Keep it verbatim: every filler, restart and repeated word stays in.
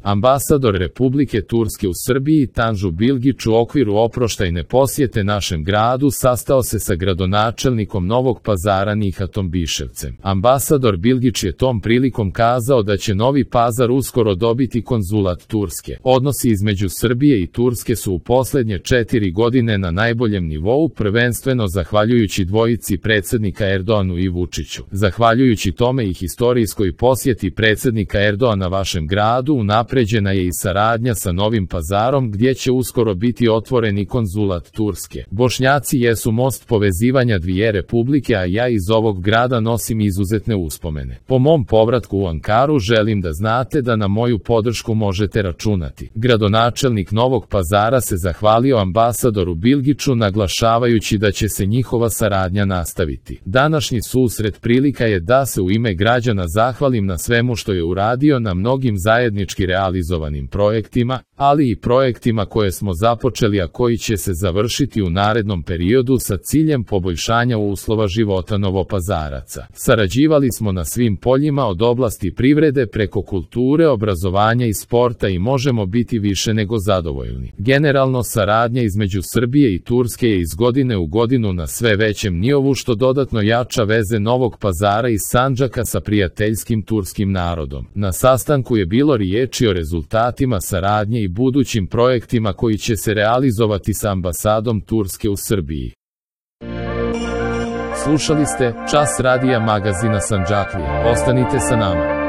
Ambasador Republike Turske u Srbiji Tanju Bilgić u okviru oproštajne posjete našem gradu sastao se sa gradonačelnikom Novog Pazara Nihatom Biševcem. Ambasador Bilgić je tom prilikom kazao da će Novi Pazar uskoro dobiti konzulat Turske. Odnosi između Srbije i Turske su u posljednje četiri godine na najboljem nivou, prvenstveno zahvaljujući dvojici predsjednika Erdoanu i Vučiću. Zahvaljujući tome i historijskoj posjeti predsjednika Erdoana vašem gradu unapređena je i saradnja sa Novim Pazarom gdje će uskoro biti otvoreni konzulat Turske. Bošnjaci jesu most povezivanja dvije republike, a ja iz ovog grada nosim izuzetne uspomene. Po mom povratku u Ankaru želim da znate da na moju podršku možete računati. Gradonačelnik Novog Pazara se zahvalio ambasadoru Bilgiću naglašavajući da će se njihova saradnja nastaviti. Današnji susret prilika je da se u ime građana zahvalim na svemu što je uradio na mnogim zajednički realizovanim projektima, ali i projektima koje smo započeli a koji će se završiti u narednom periodu sa ciljem poboljšanja uslova života Novopazaraca. Sarađivali smo na svim poljima od oblasti privrede preko kulture, obrazovanja i sporta i možemo biti više nego zadovoljni. Generalno saradnja između Srbije i Turske je iz godine u godinu na sve većem nivou što dodatno jača veze Novog Pazara i Sandžaka sa prijateljskim turskim narodom. Na sastanku je bilo riječi o rezultatima saradnje i budućim projektima koji će se realizovati sa ambasadom Turske u Srbiji. Slušali ste Čas radija magazina Sandžaklija. Ostanite sa nama.